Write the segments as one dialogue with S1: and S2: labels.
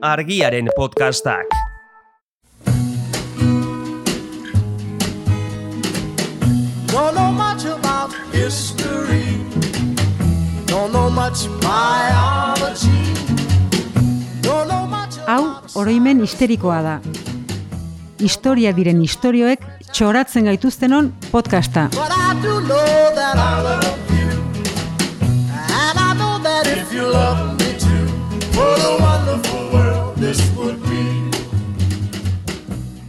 S1: Argiaren podcastak.
S2: Don't know much about history. Don't know much biology. Don't know much
S3: Hau, oroimen histerikoa da. Historia diren istorioek txoratzen gaituztenon podcasta.
S2: But I do know that I love you. And I know that if you love me too, what a wonderful world this would be.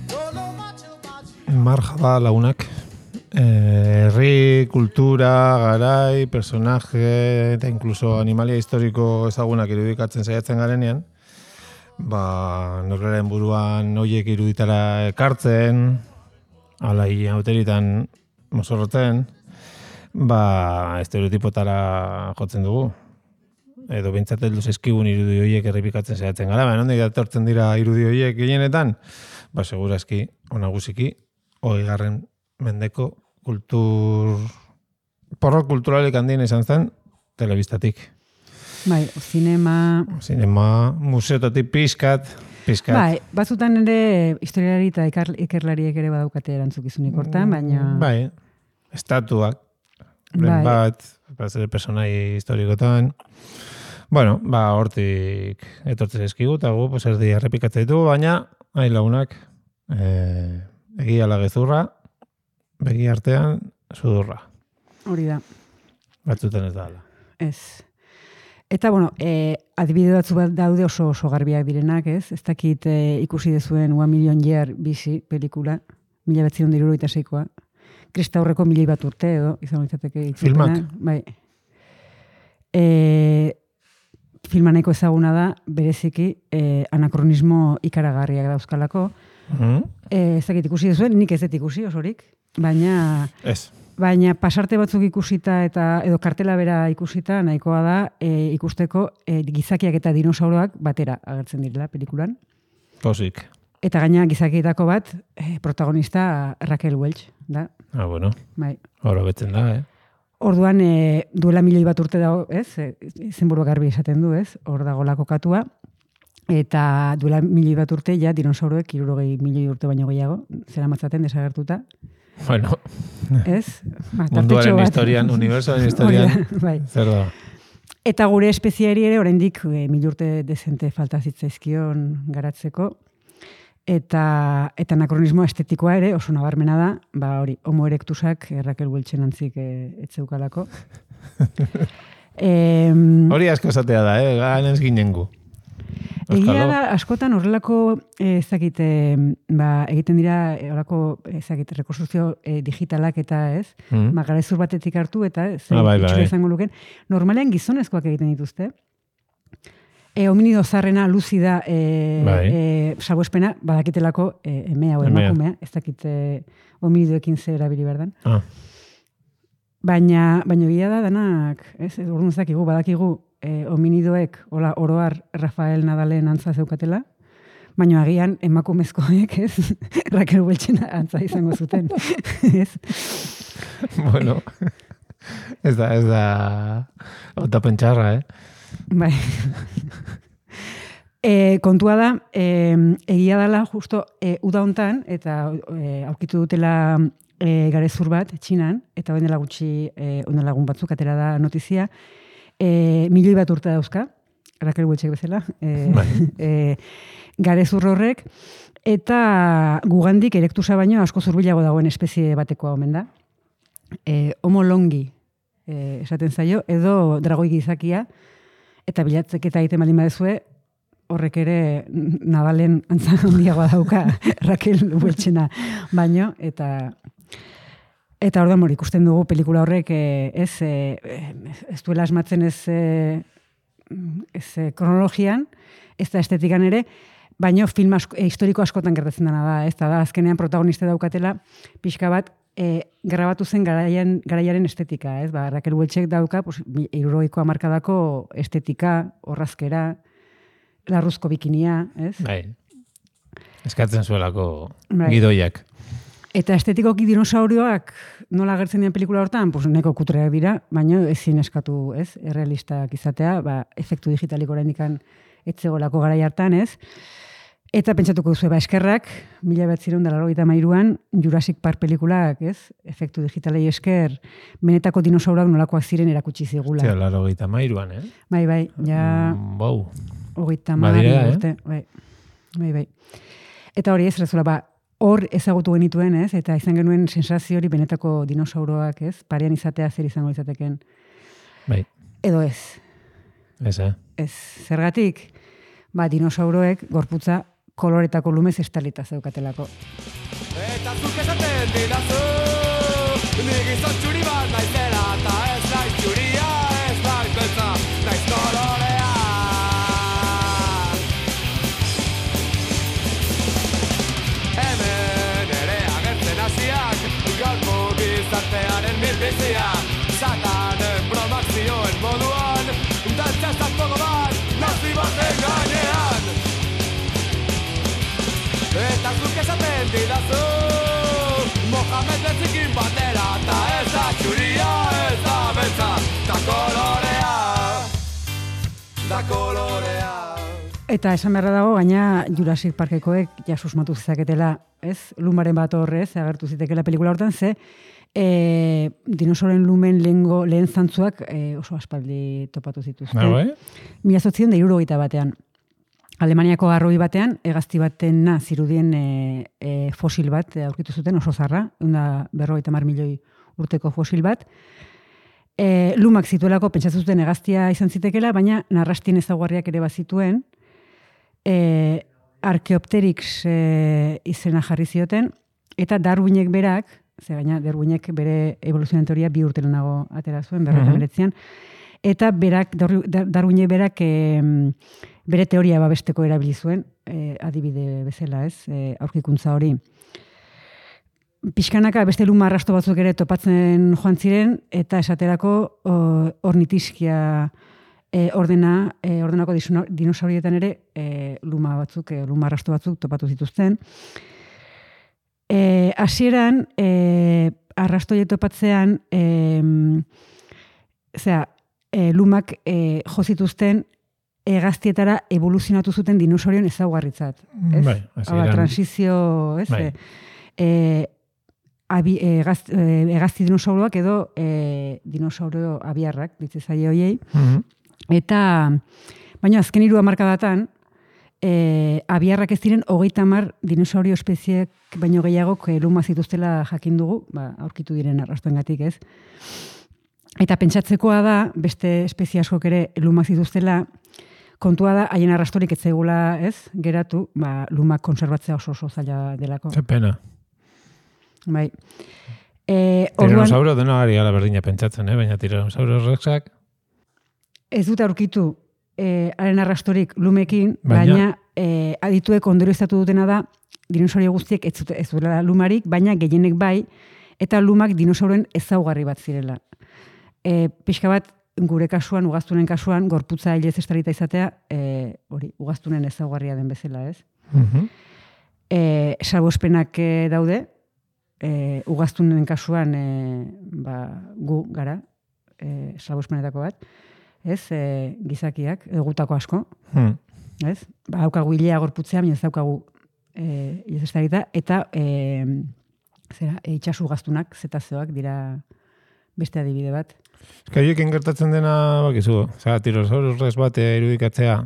S2: Don't know much about you.
S4: Marjaba lagunak. Herri, kultura, garai, personaje eta incluso animalia historiko ezagunak irudikatzen saiatzen garenean, norberaren buruan horiek iruditara ekartzen, alai auteritan mozorrotzen, estereotipotara jotzen dugu. Edo behintzat heldu zaizkigun irudi horiek errepikatzen saiatzen gara. Nondik datortzen dira irudi horiek gehienetan? Segurazki, onagusiki, 20. mendeko porrot kulturalik handien izan zen telebistatik.
S3: Bai, zinema,
S4: museotatik pizkat.
S3: Bai, batzutan ere historialari eta ikerlariek ere badaukate erantzukizunik hortan, baina...
S4: Bai, estatuak, bat personai historikotan. Hortik etortzen eskigu, eta gu, erdi errepikatzen ditu, baina, lagunak, egia lagezurra, begi artean, sudurra.
S3: Hori da.
S4: Batzutan ez da ala.
S3: Ez. Eta, adibide batzu bat daude oso garbiak direnak, ez? Ez dakit ikusi dezuen 1 Million Year bizi pelikula, 1976koa. Krista aurreko 1000 bat urte edo, izan litzateke itzulpena.
S4: Filmak?
S3: Bai. Filma nahiko ezaguna da, bereziki, anakronismo ikaragarriak dauzkalako. Ez dakit ikusi dezuen, nik ez dut ikusi osorik, baina pasarte batzuk ikusita edo kartela bera ikusita nahikoa da ikusteko gizakiak eta dinosauroak batera agertzen direla pelikulan.
S4: Posik.
S3: Eta gaina gizakietako bat protagonista Raquel Welch da.
S4: Bueno.
S3: Bai.
S4: Hora betzen da,
S3: Orduan duela 1.000 bat urte dago, ez? Izenburu garbi esaten du, ez? Hor dago kokatua. Eta duela 1.000 bat urte, ja, dinosauroek 60.000 urte baino gehiago, zera matzaten desagertuta.
S4: Bueno,
S3: ez?
S4: Munduaren historian, unibersoaren historian,
S3: bai.
S4: Zer da?
S3: Eta gure espeziari ere, oraindik 1000 urte dezente falta zitzaizkion garatzeko. Eta anakronismo estetikoa ere oso nabarmena da, hori, homo erectusak Raquel Welchen antzik etzeukalako.
S4: Hori asko esatea da, ganez ginengu.
S3: Egia da, askotan horrelako, egiten dira, horrelako, rekonstrukzio digitalak eta ez, garezur batetik hartu eta itxura izango luken. Normalean gizonezkoak egiten dituzte. Hominido zarrena, luzida, salbuespena, badakitelako emea o emakumea, ez dakit hominidoekin ze erabili berdan. Baina egia da danak, orduan ez dakigu, badakigu, hominidoek, oroar Rafael Nadalen antza zeukatela, baina agian emakumezkoek, ez, Raquel Welchen antza izango zuten, ez?
S4: Bueno, ez da, ota pentsarra,
S3: Bai. Kontua da, egia dela justo uda hontan, eta aurkitu dutela garezur bat, Txinan, eta oen dela gutxi, oen lagun batzuk, atera da notizia, 1.000 bat urte dauzka, Raquel Welchek bezala, garezur horrek, eta gugandik erektusa baino asko zurbilago dagoen espezie batekoa omen da. Homo longi esaten zaio, edo dragoi gizakia, eta bilatzeketa egiten baldin badezue, horrek ere Nadalen antza handiagoa dauka Raquel Welchena baino, eta orduan ikusten dugu pelikula horrek ez duela asmatzen ez kronologian, ez da estetikan ere, baino film historiko askotan gertatzen dena da, ez da azkenean protagoniste daukatela pixka bat grabatu zen garaiaren estetika, ez? Raquel Welchek dauka 60ko hamarkadako estetika, orrazkera, larruzko bikinia, ez?
S4: Bai. Eskatzen zuelako gidoiak.
S3: Eta estetikoki dinosaurioak nola agertzen dian pelikula hortan, neko kutreak dira, baina ezin eskatu, ez? Errealistak izatea, efektu digitalik oraindik etzegolako garai hartan, ez? Eta pentsatuko duzu, eskerrak, 1983an Jurassic Park pelikulak, ez? Efektu digitalei esker, benetako dinosaurak nolakoak ziren erakutsi zigula.
S4: Zia, 83an,
S3: Bai, ja...
S4: Bau.
S3: 30 urte, bai. Eta hori ez, rezola, hor ezagutu genituen, ez? Eta izan genuen sensazio hori benetako dinosauroak, ez? Parean izatea zer izango izateken.
S4: Bai.
S3: Edo ez.
S4: Ez,
S3: Ez, zergatik, dinosauroek gorputza koloretako lumez estalita zeukatelako.
S2: Eta zuk esaten didazu, ni gizon txuri bat naizela, eta ez naiz txuria, ez naiz beltza, naiz kolorea. Hemen ere agertzen hasiak, gaurko gizartearen milbizia, satanen bromak zioen moduan, dantzazak togo bat, nazi baten gainean. Eta zuk esaten didazu, Mohamed Bezikin batera, eta ez da txuria, ez da beltza, da kolorea.
S3: Eta esan beharra dago, gaina Jurassic Parkekoek ja susmatu zezaketela, ez? Lumaren bat horrez, agertu zitekela pelikula hortan, ze dinosauren lumen lehen zantzuak oso aspaldi topatu zituzten.
S4: Bai?
S3: 1961 Alemaniako garroi batean, hegazti batena zirudien fosil bat aurkitu zuten oso zarra, 150 milioi urteko fosil bat. Lumak zituelako pentsatzen zuten hegaztia izan zitekela, baina narrastien ezaugarriak ere bazituen, Archaeopteryx izena jarri zioten, eta Darwinek berak, gaina Darwinek bere evoluzioaren teoria 2 urte lehenago atera zuen, 1939an, eta Darwinek berak bere teoria babesteko erabili zuen, adibide bezala, ez, aurkikuntza hori. Pixkanaka beste luma arrasto batzuk ere topatzen joan ziren, eta esaterako ornitiskia ordenako dinosaurietan ere luma arrasto batzuk topatu zituzten. Hasieran arrastoiek topatzean lumak jo zituzten hegaztietara evoluzionatu zuten dinosaurien ezaugarritzat.
S4: Bai,
S3: transizio, ez?
S4: Bai.
S3: Hegazti dinosauroak edo dinosaurio abiarrak, ditze zaie hoiei. Eta, baina azken 3 hamarkadatan, abiarrak ez diren 30 dinosaurio espeziek baino gehiagok luma zituztela jakin dugu, aurkitu diren arrastoengatik, ez? Eta pentsatzekoa da, beste espezie askok ere luma zituztela, kontua da, haien arrastorik ez zaigula, ez? Geratu, lumak konserbatzea oso zaila delako.
S4: Ze pena.
S3: Bai.
S4: Tiranosauro dena ari ala berdina pentsatzen, baina Tiranosaurus rexak
S3: ez dute aurkitu haren arrastorik lumekin, baina adituek ondorioztatu dutena da dinosaurio guztiek ez duela lumarik, baina gehienek bai, eta lumak dinosauroen ezaugarri bat zirela. Pixka bat, gure kasuan, ugaztunen kasuan, gorputza hilez estalita izatea, hori, ugaztunen ezaugarria den bezala, ez? Salbuespenak daude, ugaztunen kasuan gu gara, salbuespenetako bat, ez? Gizakiak, gutako asko, ez? Haukagu hilea gorputzea, baina ez daukagu hilez estalita, eta itxasu gaztunak, zetazeoak dira beste adibide bat.
S4: Eskaioekin gertatzen dena, bakizu, Tiranosaurus rex bat irudikatzea,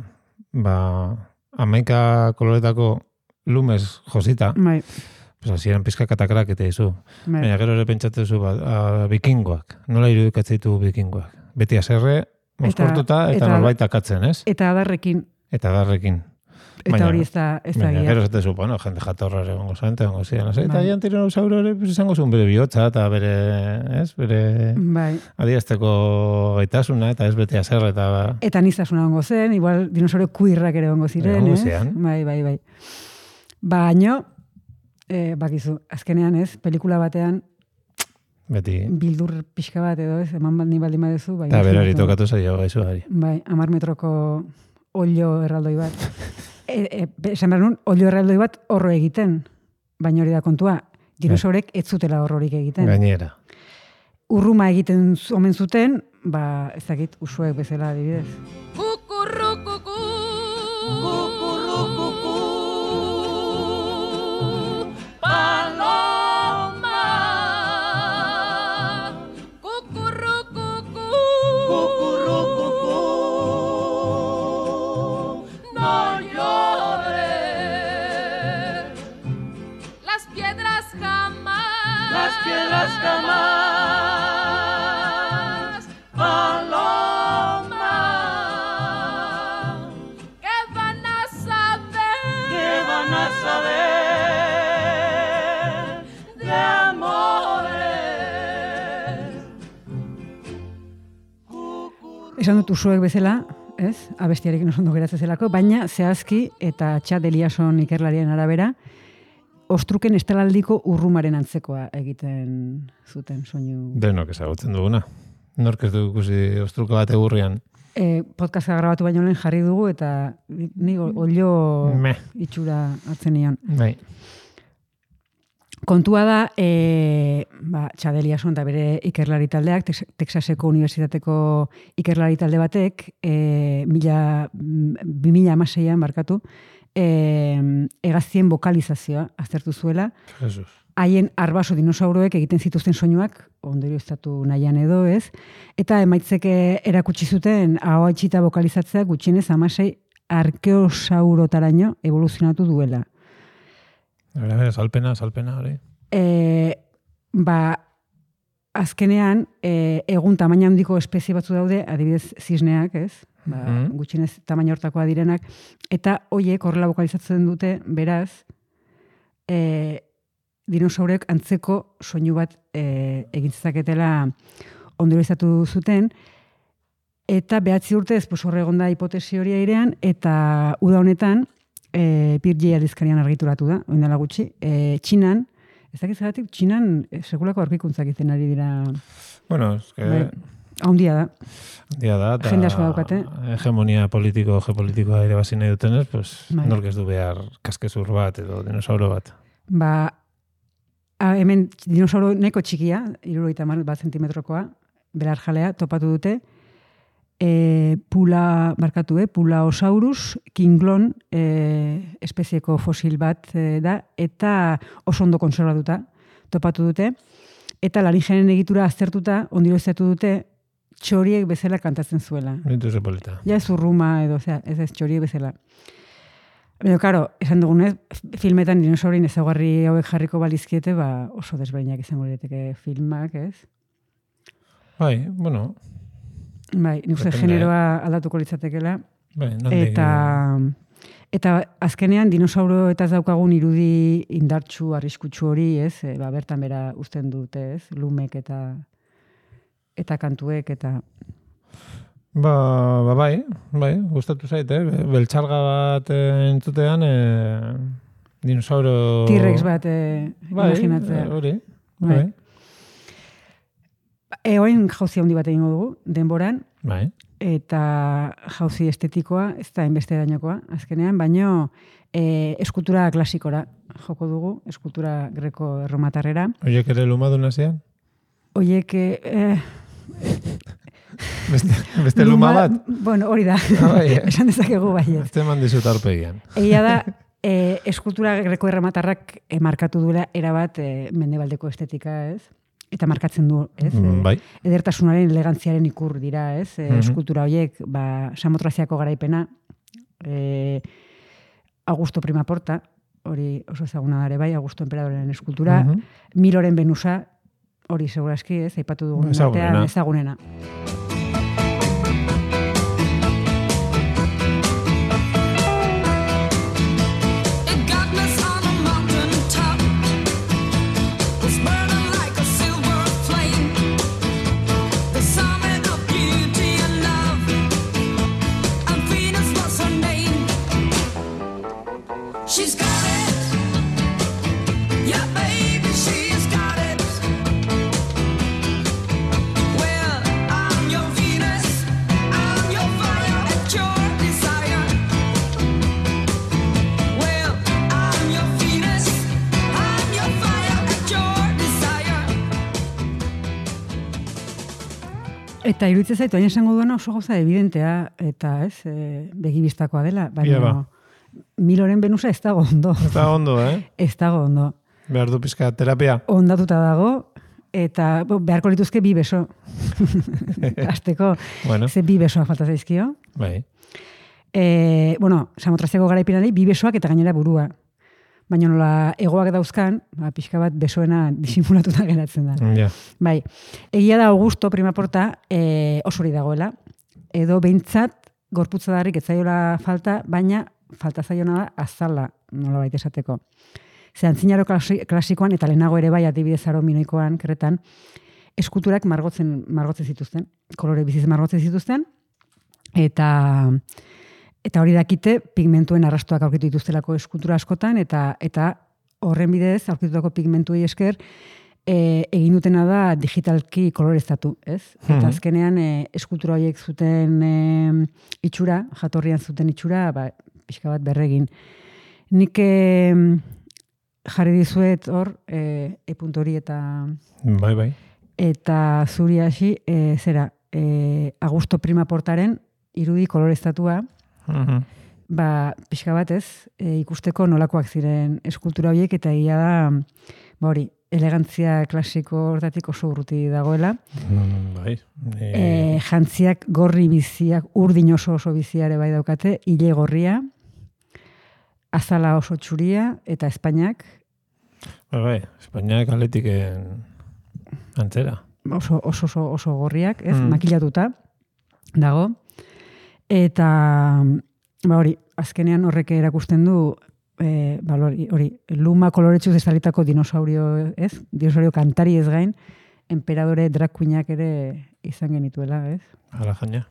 S4: 11 koloretako lumez josita, hasieran pizka katakrak eta izu. Baina gero ere pentsatzen zu, bikingoak, nola irudikatzen ditu bikingoak? Beti aserre, mozkortuta eta norbait akatzen, ez?
S3: Eta adarrekin. Eta hori ez da gira.
S4: Gero zaten zu, jende jatorra ere gongo zante, gongo ziren. Eta gian tiranosauro ere izango zuen bere bihotza eta bere adierazteko gaitasuna eta ez bete aserre eta...
S3: Eta niztasuna gongo zen, igual dinosaurio kuirrak ere gongo ziren, Bai. Baina, bakizu, azkenean ez, pelikula batean,
S4: beti
S3: bildur pixka bat edo ez, eman baldin badezu.
S4: Eta berari tokatu zaio gaizuari.
S3: Bai, 10 metroko olio erraldoi bat. Esan behar nun, olio erraldoi bat horro egiten, baina hori da kontua, dinosaurek ez zutela horrorik egiten.
S4: Gainera.
S3: Urruma egiten omen zuten, ez dakit, usuek bezala adibidez.
S5: Kukurrukuku,
S3: Esan dut usuek bezala, ez? Abestiarekin oso ondo geratzen zelako, baina zehazki eta Chad Eliasson ikerlarien arabera, ostruken estalaldiko urrumaren antzekoa egiten zuten soinu.
S4: Denok ezagutzen duguna. Nork ez du ikusi ostruka bat egurrian.
S3: Podcasta grabatu baino lehen jarri dugu eta ni olio itxura hartzen nion.
S4: Bai.
S3: Kontua da, Chad Eliasson eta bere ikerlari taldeak, Texaseko Unibertsitateko ikerlari talde batek, 2016an barkatu, hegaztien bokalizazioa aztertu zuela.
S4: Jesus.
S3: Haien arbaso dinosauroek egiten zituzten soinuak, ondorioztatu nahian edo ez, eta emaitzeke erakutsi zuten ahoa itxita bokalizatzea gutxienez 16 arkeosaurotaraino evoluzionatu duela.
S4: Salpena, hori.
S3: Azkenean, egun tamaina handiko espezie batzu daude, adibidez zisneak, ez? Gutxienez tamaina hortakoa direnak, eta hoiek horrela bokalizatzen dute, beraz, dinosaurek antzeko soinu bat egin zezaketela ondorioztatu zuten, eta 9 urtez hor egon da hipotesi hori airean, eta uda honetan, Pirgei aldizkarian argituratu da, oin dela gutxi, Txinan, ez dakit zagatik, Txinan sekulako aurkikuntzak izten ari dira.
S4: Bueno,
S3: Handia da.
S4: Handia da, eta
S3: jende asko daukate.
S4: Hegemonia geopolitikoa ere bazin nahi dutenez, pues, nork ez du behar kaskezur bat edo dinosauro bat.
S3: Hemen dinosauro neko txikia, 71 zentimetrokoa, belarjalea, topatu dute, Pulaosaurus kinglon espezieko fosil bat da, eta oso ondo konservatuta topatu dute, eta laringenen egitura aztertuta, ondorioztatu dute, txoriek bezala kantatzen zuela.
S4: Nintu zepolita.
S3: Ja ez urruma edo, ez txoriek bezala. Baina, karo, esan dugunez, filmetan dinosaurin ezaugarri hauek jarriko balizkiete, oso desberdinak izango lirateke filmak, ez?
S4: Bai, bueno.
S3: Bai, nik uste generoa aldatuko litzatekela.
S4: Bai,
S3: eta azkenean dinosauro eta daukagun irudi indartsu, arriskutsu hori, ez? Bertan bera uzten dute, ez? Lumek eta kantuek eta...
S4: Bai, gustatu zait, beltxarga bat entzutean, dinosauro...
S3: T-Rex bat imaginatzea.
S4: Hori, bai.
S3: Oin jauzi handi bat egingo dugu, denboran,
S4: bai.
S3: Eta jauzi estetikoa, ez da inbeste dainokoa, azkenean, baino eskultura klasikora joko dugu, eskultura greko-erromatarrera.
S4: Oiek ere lumadun hasian?
S3: Oiek...
S4: Beste luma bat?
S3: Bueno, hori da. Esan dezakegu bai.
S4: Ez teman dizut arpegian.
S3: Egia da, eskultura greko-erromatarrak markatu duela erabat mendebaldeko estetika, ez? Eta markatzen du, ez?
S4: Bai.
S3: Edertasunaren, elegantziaren ikur dira, ez? Eskultura horiek, Samotraziako garaipena, Augusto Primaporta, hori oso ezaguna dare bai, Augusto Emperadoren eskultura, Miloren Venusa, hori segurazki, ez? Aipatu dugun artean ezagunena.
S5: She's got it. Yeah, baby, she's got it. Well, I'm your Venus. I'm your fire at your desire. Well, I'm your Venus. I'm your fire at your desire.
S3: Eta iruditzen zaitu, hain esango duena oso gauza evidentea, eta ez, begibistakoa dela, baina... Miloren Venusa ez dago ondo.
S4: Ez dago ondo,
S3: Ez dago ondo.
S4: Behar du pizka terapia.
S3: Ondatuta dago, eta beharko lituzke 2 beso. Azteko, ze 2 besoak falta zaizkio.
S4: Bai.
S3: Samotraziako garaipenari 2 besoak eta gainera burua. Baina nola egoak dauzkan, pixka bat besoena disimulatuta geratzen da.
S4: Ja.
S3: Bai, egia da Augusto Primaporta osori dagoela, edo behintzat gorputza darrik ez zaiola falta, baina falta zaiona da azala, nola baita esateko. Ze antzinaro klasikoan, eta lehenago ere bai adibidez aro minoikoan, Kretan, eskulturak margotzen zituzten, kolore biziz margotzen zituzten, Eta hori dakite, pigmentuen arrastoak aurkitu dituztelako eskultura askotan, eta horren bidez, aurkitutako pigmentuei esker, egin dutena da digitalki koloreztatu, ez? Eta azkenean eskultura horiek zuten itxura, jatorrian zuten itxura, pixka bat berregin. Nik jarri dizuet hor, e-puntu hori eta...
S4: Bai.
S3: Eta zuri hasi, Augusto Prima Portaren irudi koloreztatua, pixka bat ez, ikusteko nolakoak ziren eskultura horiek, eta egia da, hori, elegantzia klasiko hortatik oso urruti dagoela.
S4: Bai.
S3: Jantziak gorri biziak, urdin oso biziare bai daukate, ile gorria, azala oso txuria, eta Espainiak.
S4: Bai, Espainiak Atletiken antzera.
S3: Oso gorriak, ez, makilatuta dago. Eta, hori, azkenean horrek erakusten du, hori, luma koloretxuz estalitako dinosaurio, ez? Dinosaurio kantari ez gain, emperadore drag queenak ere izan genituela, ez?
S4: Hala jaina.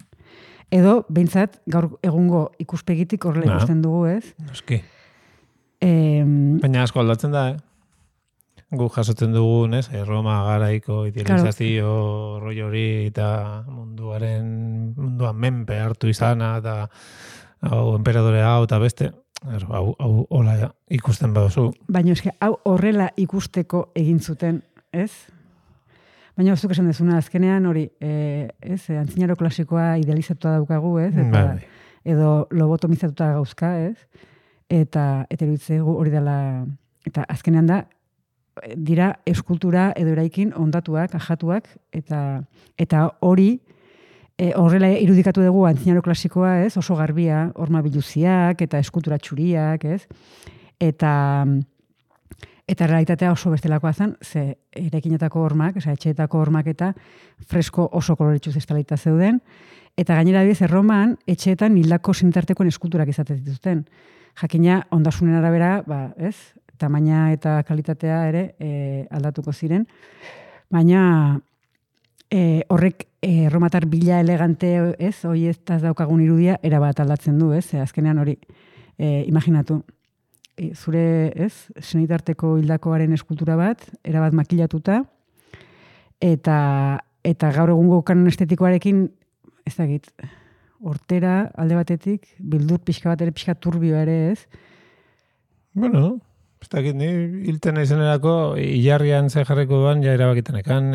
S3: Edo, behintzat, gaur egungo ikuspegitik horrela ikusten dugu, ez?
S4: Noski. Baina asko aldatzen da, Gu jasotzen dugun, ez? Roma garaiko idealizazio rollo hori eta munduan menpe hartu izana eta emperadore hau eta beste. Hau hola ikusten baduzu.
S3: Baina eske hau horrela ikusteko egin zuten, ez? Baina zuk esan dezuna azkenean hori, ez, antzinaro klasikoa idealizatua daukagu, ez? Eta, edo lobotomizatuta gauzka, ez? Eta iruditzaigu hori dela, eta azkenean da, dira eskultura edo eraikin ondatuak, ajatuak, eta hori, horrela irudikatu dugu antzinaro klasikoa, ez? Oso garbia, horma biluziak eta eskultura txuriak, ez? Eta realitatea oso bestelakoa zen, ze eraikinetako hormak, etxeetako hormak eta fresko oso koloretxuz estalita zeuden, eta gainera biz, Erroman etxeetan hildako sinitartekoen eskulturak izaten dituzten. Jakina ondasunen arabera, ez? Tamaina eta kalitatea ere aldatuko ziren, baina horrek erromatar bila elegante, ez, hori ez daukagun irudia, erabat aldatzen du, ez, azkenean hori, imaginatu, zure, ez, senitarteko hildakoaren eskultura bat, erabat makilatuta, eta gaur egungo kanon estetikoarekin, ez dakit, hortera, alde batetik, bildur pixka bat ere, pixka turbio ere, ez?
S4: Bueno, ez dakit, ni hilten izenerako hilarrian ze jarriko duan, ja erabakitenekan.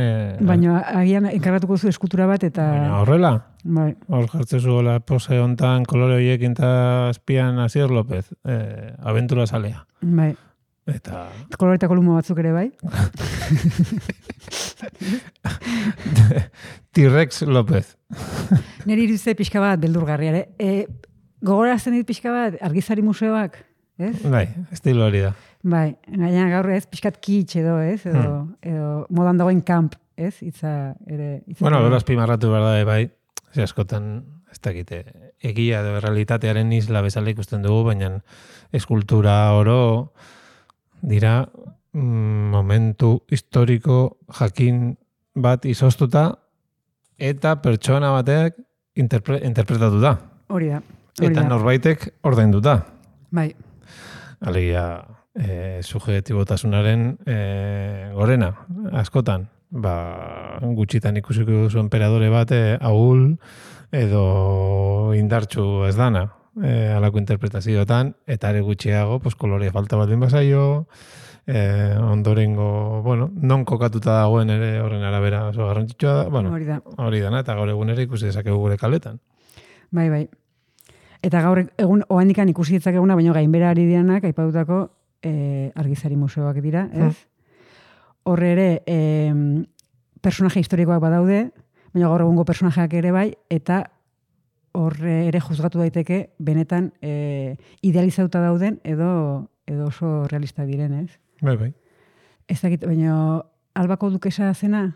S3: Baina agian enkargatuko zu eskultura bat eta...
S4: Baina horrela?
S3: Bai.
S4: Hor jartzezu gola pose hontan kolore horiekin eta azpian Asier López, aventura salea.
S3: Bai.
S4: Eta...
S3: Koloretako lumo batzuk ere bai.
S4: T-Rex López.
S3: Neri iruditze pixka bat beldurgarria ere. Gogorazten dit pixka bat argizari museoak, ez?
S4: Bai, estilo hori da.
S3: Bai, gaina gaur ez, pixkat kitsch edo, ez? Edo modan dagoen kamp, ez? Itza ere...
S4: Bueno, gero azpimarratu behar da, bai. Ze askotan, ez dakite, egia edo realitatearen isla bezala ikusten dugu, baina eskultura oro dira momentu historiko jakin bat izoztuta eta pertsona batek interpretatu da.
S3: Hori da.
S4: Eta norbaitek ordainduta.
S3: Bai.
S4: Alegia, subjektibotasunaren gorena, askotan. Gutxitan ikusiko duzu emperadore bat ahul edo indartsu ez dana alako interpretazioetan, eta ere gutxiago kolore falta bat bazaio, ondorengo, non kokatuta dagoen ere horren arabera oso garrantzitsua da, hori dana, eta gaur egun ere ikusi dezakegu gure kaletan.
S3: Bai, bai. Eta gaur egun ohandikan ikusi ditzakeguna, baina gainbera ari dianak, aipatutako argizari museoak dira, ez? Horre ere, personaje historikoak badaude, baina gaur egungo personajeak ere bai, eta horre ere juzgatu daiteke benetan idealizatuta dauden edo oso realista diren, ez?
S4: Bai, bai.
S3: Ez dakit, baina albako dukesa zena?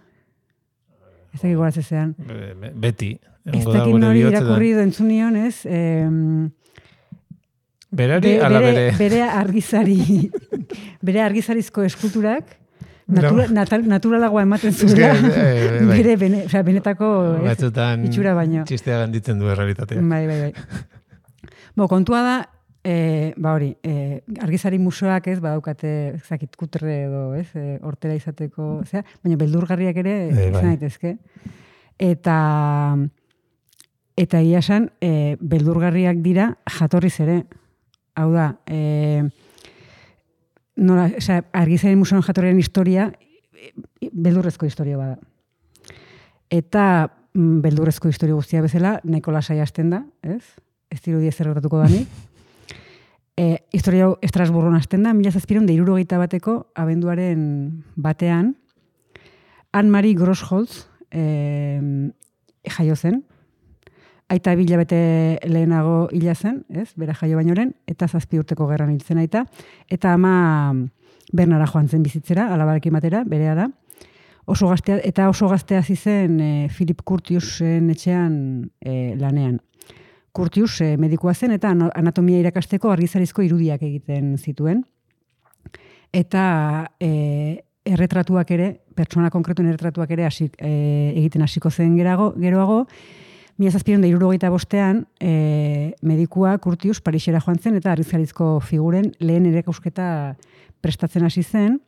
S3: Ez dakit goratzezean.
S4: Beti.
S3: Ez dakit nori irakurri edo entzunion, ez?
S4: Berari ala bere?
S3: Bere argizarizko eskulturak, Naturalagoa ematen
S4: que,
S3: zuela,
S4: bai.
S3: bere benetako
S4: Batzutan
S3: itxura baino.
S4: txistea ganditzen du errealitatea.
S3: Bai. Kontua da, hori, argizari museoak badaukate, zakit, kutre edo, hortela izateko, baina beldurgarriak ere izan daitezke. Eta egia esan, beldurgarriak dira jatorriz ere. Hau da, argizari museoan jatorriaren historia, beldurrezko historia bada. Eta beldurrezko historia guztia bezala, nahiko lasai hasten da, ez? Ez dirudi ezer gertatuko danik. Historia hau Estrasburgon hasten da, 1761 abenduaren batean, Anne-Marie Grossholz jaio zen, aita 2 hilabete lehenago hila zen, ez? Bera jaio bainoren, eta 7 urteko gerran hil zen aita, eta ama Bernara joan zen bizitzera, alabarekin batera, berea da. Oso gaztea hasi zen Philip Curtiusen etxean lanean. Curtius medikua zen eta anatomia irakasteko argizarizko irudiak egiten zituen. Eta erretratuak ere, pertsona konkretuen erretratuak ere egiten hasiko zen geroago, 1765 medikua Curtius Parisera joan zen eta argizarizko figuren lehen erekusketa prestatzen hasi zen.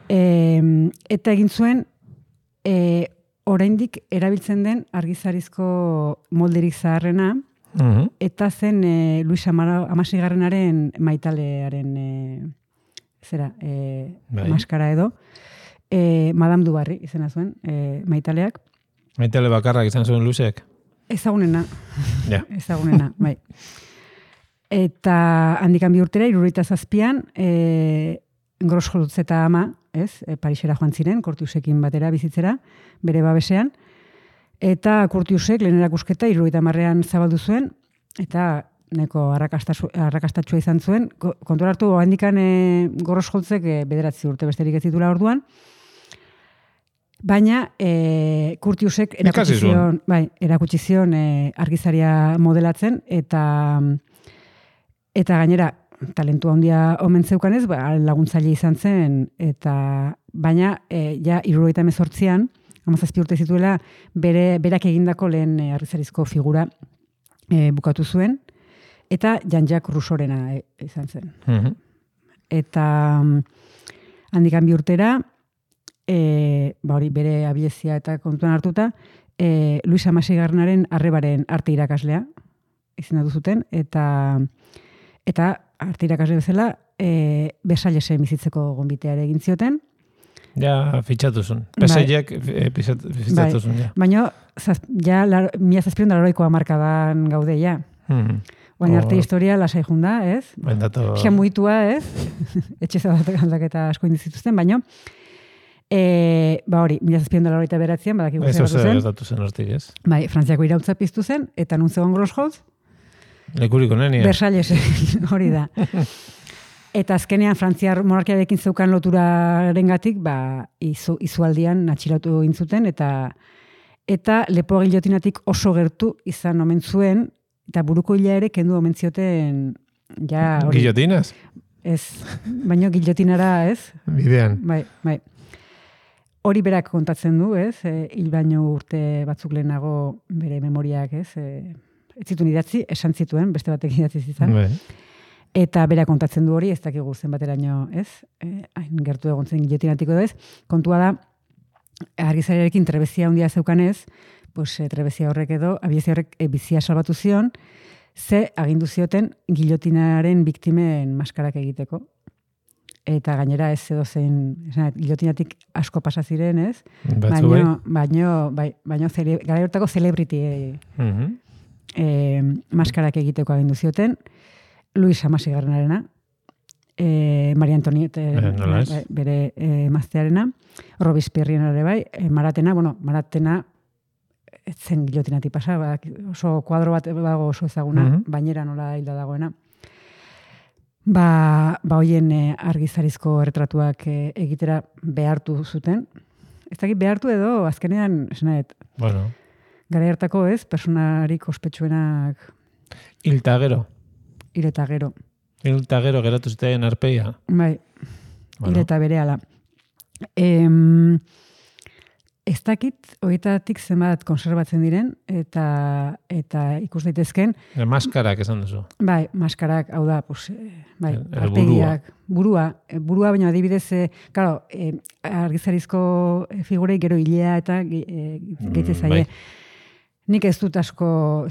S3: Eta egin zuen oraindik erabiltzen den argizarizko molderik zaharrena, eta zen Luis Hamaseigarrenaren maitalearen maskara edo, Madame du Barry izena zuen maitaleak.
S4: Maitale bakarrak izan zuen Luisek?
S3: Ezagunena.
S4: Ja.
S3: Ezagunena, bai. Eta handikan 2 urtera, 77an, Grossholz eta ama, Parisera joan ziren, Curtiusekin batera bizitzera, bere babesean, eta Curtiusek lehen erakusketa 70an zabaldu zuen, eta neko arrakastatsua izan zuen. Kontuan hartu, handikan Grossholzek 9 urte besterik ez zituela orduan, baina Curtiusek erakutsi zion argizaria modelatzen, eta gainera, talentua handia omen zeukanez, laguntzaile izan zen, baina ja 78an, 17 urte zituela, berak egindako lehen argizarizko figura bukatu zuen, eta Jean-Jacques Rousseaurena izan zen. Eta handikan 2 urtera, bere abilezia eta kontuan hartuta, Luis Hamaseigarrenaren arrebaren arte irakaslea izendatu zuten, eta arte irakasle bezala, Versaillesen bizitzeko gonbiteare egin zioten.
S4: Ja, fitxatu zuen. Versaillesek fitxatu zuen, ja.
S3: Baina, ja, 1780ko hamarkadan gaude, ja. Baina arte historia lasai junda, ez? Pixka muitua, ez? Etxe zabatak aldaketa asko indizituzten, baina, hori, 1789an, badakigu zer batu zen.
S4: Ez datu zen hortik, ez?
S3: Bai, Frantziako irautza piztu zen, eta nun zegoen Grossholz,
S4: Lekuriko nenia.
S3: Versailles, hori da. Eta azkenean Frantziar monarkiarekin zeukan loturarengatik, izualdian atxilotu egin zuten, eta lepo gilotinatik oso gertu izan omen zuen, eta buruko hila ere kendu omen zioten, ja...
S4: Gilotinaz?
S3: Ez, baina gilotinara, ez?
S4: Bidean.
S3: Bai. Hori berak kontatzen du, ez? Hil baino urte batzuk lehenago bere memoriak, ez? Ez zituen idatzi, esan zituen, beste batek idatzi zizan. Eta bera kontatzen du hori, ez dakigu zenbateraino, ez? Hain gertu egon zen gilotinatiko edo ez. Kontua da, argizariarekin trebezia handia zeukanez, trebezia horrek edo, abiezia horrek bizia salbatu zion, ze agindu zioten gilotinaren biktimen maskarak egiteko. Eta gainera ez edo zen, gilotinatik asko pasa ziren, ez? Baino gara hortako celebrity maskarak egiteko agindu zioten, Luis Hamaseigarrenarena, Maria Antoniette bere emaztearena, Robespierrena ere bai, Maratena ez zen gilotinatik pasa, oso kuadro bat bago oso ezaguna, bainera nola hilda dagoena. Hoien argizarizko erretratuak egitera behartu zuten. Ez dakit behartu edo, azkenean, esanet, gara hartako ez, personarik ospetsuenak...
S4: Hil eta gero.
S3: Hil eta gero
S4: geratu zitean arpeia.
S3: Bai, hil eta berehala. Ez dakit, horietatik zenbat konserbatzen diren, eta ikus daitezken,
S4: Maskarak esan duzu.
S3: bai, maskarak, hau da, pues, bai,
S4: El
S3: arpegiak, burua, baina adibidez, claro, argizarizko figurei gero hilea eta gehitzen zaie.
S4: Bai.
S3: Nik ez dut asko,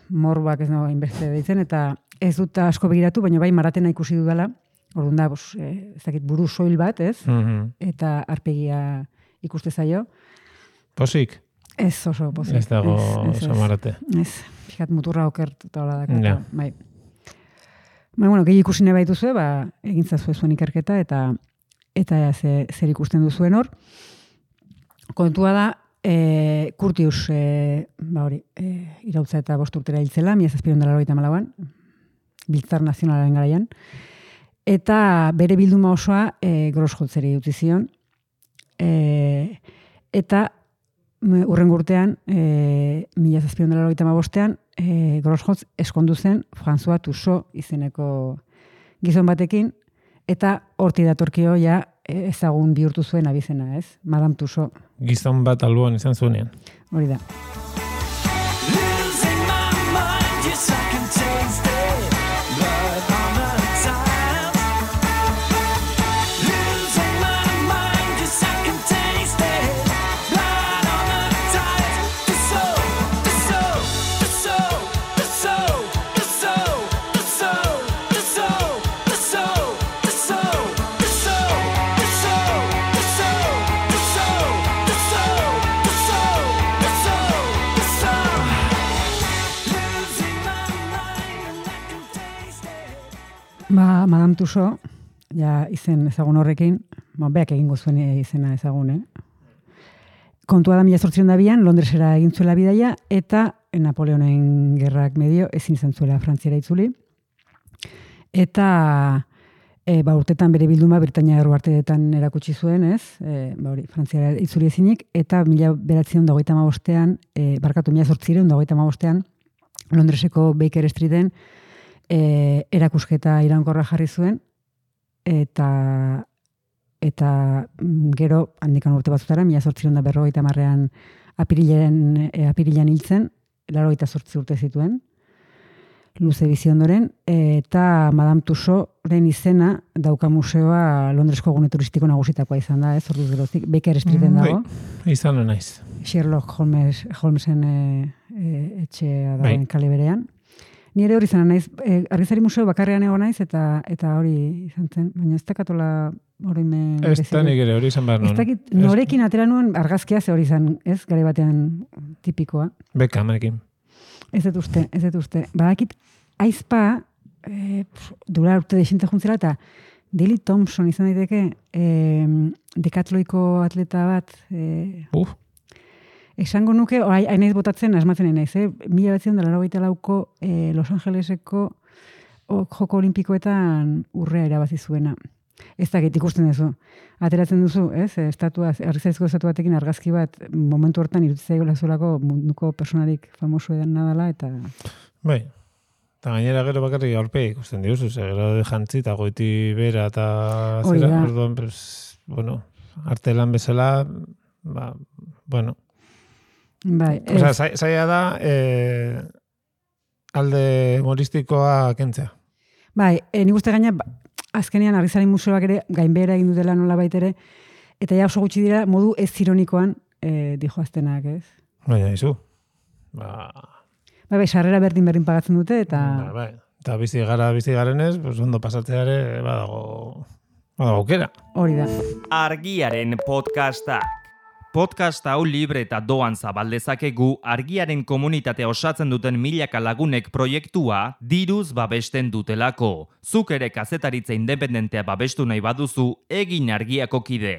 S3: morbak ez nago inbeste deitzen, eta ez dut asko begiratu, baina bai maratena ikusi dudala, orduan da, ez dakit, buru soil bat, ez? Eta arpegia ikuste zaio.
S4: Posik?
S3: Ez oso pozik.
S4: Ez dago oso marate.
S3: Ez, fikat muturra okertuta hola dakar.
S4: Ja.
S3: Bai. Bueno, gehi ikusi nahi baituzue, egin zazue zuen ikerketa, eta zer ikusten duzuen hor. Kontua da, Curtius, irautza eta 5 urtera hiltzela, 1794an, Biltzar Nazionalaren garaian, eta bere bilduma osoa Grosholtzeri utzi zion, eta urrengo urtean, 1795an, Grosholtz eskondu zen François Tussaud izeneko gizon batekin, eta horti datorkio ja ezagun bihurtu zuen abizena, ez? Madame Tussaud.
S4: Gizon bat alboan izan zuenean.
S3: Hori da.
S5: Losing my mind, yes I can taste it. Blood on the tiles. Losing my mind, yes I can taste it. Blood on the tiles. The soul, the soul, the soul, the soul, the soul, the soul, the soul, the soul, the soul, the soul, the soul, the soul, the soul, the soul, the soul, the soul, the soul. Losing my mind and I can taste it.
S3: Madame Tussaud, ja izen ezagun horrekin, beak egingo zuen izena ezagun, Kontua da 1802an Londresera egin zuela bidaia, eta Napoleonen gerrak medio ezin izan zuela Frantziara itzuli. Eta urtetan bere bilduma Britainia Erruarteetan erakutsi zuen, ez? Frantziara itzuli ezinik, eta 1935an, 1835an, Londreseko Baker Streeten erakusketa iraunkorra jarri zuen, eta gero, handikan urte batzutara, 1850an apirilean hiltzen, 88 urte zituen, luze bizi ondoren, eta Madame Tussaudsren izena dauka museoa Londresko gune turistiko nagusitakoa izan da, ez? Orduz geroztik, Baker Streeten dago.
S4: Izan naiz.
S3: Sherlock Holmesen etxea dagoen kale berean. Ni ere hori izan naiz, argizari museo bakarrean egon naiz, eta hori izan zen, baina ez dakatola oroimen...
S4: Ez da nik ere hori izan behar
S3: Ez dakit, norekin atera nuen argazkia ze hori izan, ez? Garai batean tipikoa.
S4: Bekamekin.
S3: Ez dut uste. Badakit, aizpa, dura urte desinte juntzera, eta Daley Thompson izan daiteke, dekatloiko atleta bat, esango nuke, hainaiz botatzen, asmatzen naiz, 1984ko Los Angeleseko joko olimpikoetan urrea irabazi zuena. Ez dakit ikusten duzu. Ateratzen duzu, ez? Argizarizko estatu batekin argazki bat momentu hortan iruditzea zuelako munduko personarik famoso edan nadala, eta...
S4: Bai. Eta gainera gero bakarrik aurpe ikusten diozu, gero de jantzi eta goiti bera eta zera, orduan, bueno, arte lan bezala, bueno.
S3: Bai,
S4: zaila da alde humoristikoa kentzea.
S3: Bai, nik uste gaina, azkenean argizari museoak ere gainbehera egin dutela nola baitere, eta ja oso gutxi dira modu ez ironikoan dijoaztenak, ez?
S4: Baina, izu.
S3: Bai, sarrera berdin pagatzen dute, eta...
S4: Bai, eta bizi garenez, pues ondo pasatzeare badago aukera.
S3: Hori da.
S1: Argiaren podcastak. Podcast hau libre eta doan zabaldezakegu argiaren komunitatea osatzen duten milaka lagunek proiektua diruz babesten dutelako. Zuk ere kazetaritza independentea babestu nahi baduzu, egin argiako kide.